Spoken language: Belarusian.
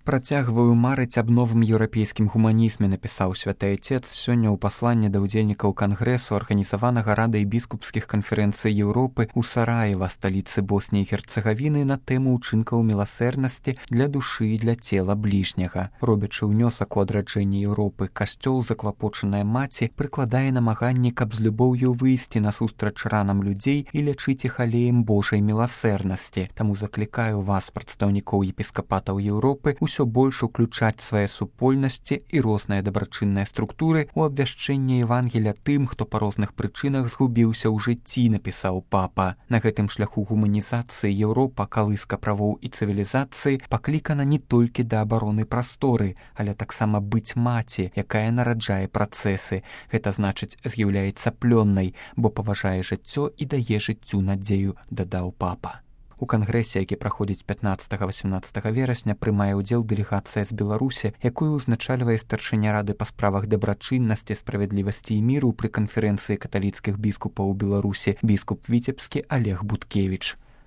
працягваю марыць аб новым еўрапейскім гуманізме, напісаў святы айцец сёння ў пасланні да ўдзельнікаў кангрэсу, арганізаванага радай біскупскіх канферэнцый Еўропы ў Сараева, сталіцы Босніі і Герцагавіны, на тэму ўчынкаў міласэрнасці для душы і для цела бліжняга. Робячы ўнёсак у адраджэнне Еўропы, касцёл, заклапочаная маці, прыкладае намаганні, каб з любоўю выйсці насустрач ранам людзей і лячыць іх алеем Божай міласэрнасці. Таму заклікаю вас, прадстаўнікоў епіскапатаў Еўропы, усё больш уключаць свае супольнасці і розныя дабрачынныя структуры ў абвяшчэнне Евангелія тым, хто па розных прычынах згубіўся ў жыцці, напісаў папа. На гэтым шляху гуманізацыі Еўропа, калыска правоў і цывілізацыі, паклікана не толькі да абароны прасторы, але таксама быць маці, якая нараджае працэсы. Гэта значыць, з'яўляецца плённай, бо паважае жыццё і дае жыццю надзею, дадаў папа. У кангрэсе, які праходзіць 15-18 верасня, прымае ўдзел дэлегацыя з Беларусі, якую ўзначальвае старшыня рады па справах дабрачыннасці, справядлівасці і міру пры канферэнцыі каталіцкіх біскупаў у Беларусі, біскуп віцебскі Олег Буткевіч.